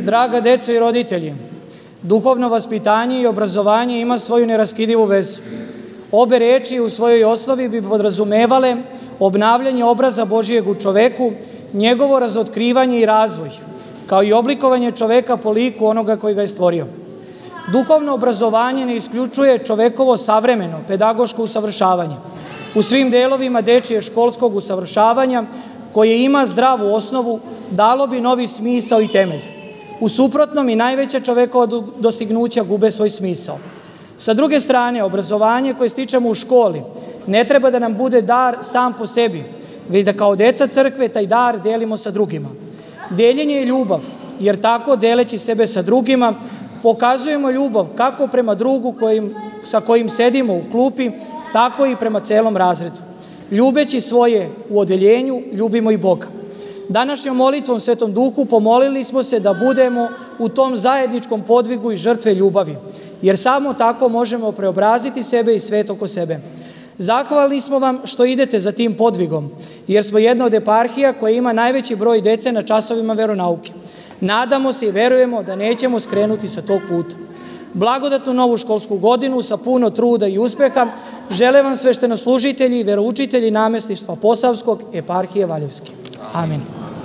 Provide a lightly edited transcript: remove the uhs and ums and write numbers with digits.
Draga deco i roditelji, duhovno vaspitanje i obrazovanje ima svoju neraskidivu vezu. Obe reči u svojoj osnovi bi podrazumevale obnavljanje obraza Božijeg u čoveku, njegovo razotkrivanje i razvoj, kao i oblikovanje čoveka po liku onoga koji ga je stvorio. Duhovno obrazovanje ne isključuje čovekovo savremeno, pedagoško usavršavanje u svim delovima dečije školskog usavršavanja, koje ima zdravu osnovu, dalo bi novi smisao i temelj. U suprotnom i najveća čovekova dostignuća gube svoj smisao. Sa druge strane, obrazovanje koje stičemo u školi ne treba da nam bude dar sam po sebi, već da kao deca crkve taj dar delimo sa drugima. Deljenje je ljubav, jer tako deleći sebe sa drugima pokazujemo ljubav kako prema drugu sa kojim sedimo u klupi, tako i prema celom razredu. Ljubeći svoje u odeljenju, ljubimo i Boga. Današnjom molitvom Svetom Duhu pomolili smo se da budemo u tom zajedničkom podvigu i žrtve ljubavi, jer samo tako možemo preobraziti sebe i svet oko sebe. Zahvalni smo vam što idete za tim podvigom, jer smo jedna od eparhija koja ima najveći broj dece na časovima veronauke. Nadamo se i verujemo da nećemo skrenuti sa tog puta. Blagodatnu novu školsku godinu sa puno truda i uspeha žele vam sveštenoslужitelji i veroučitelji namestništva Posavskog, eparhije Valjevske. Amin.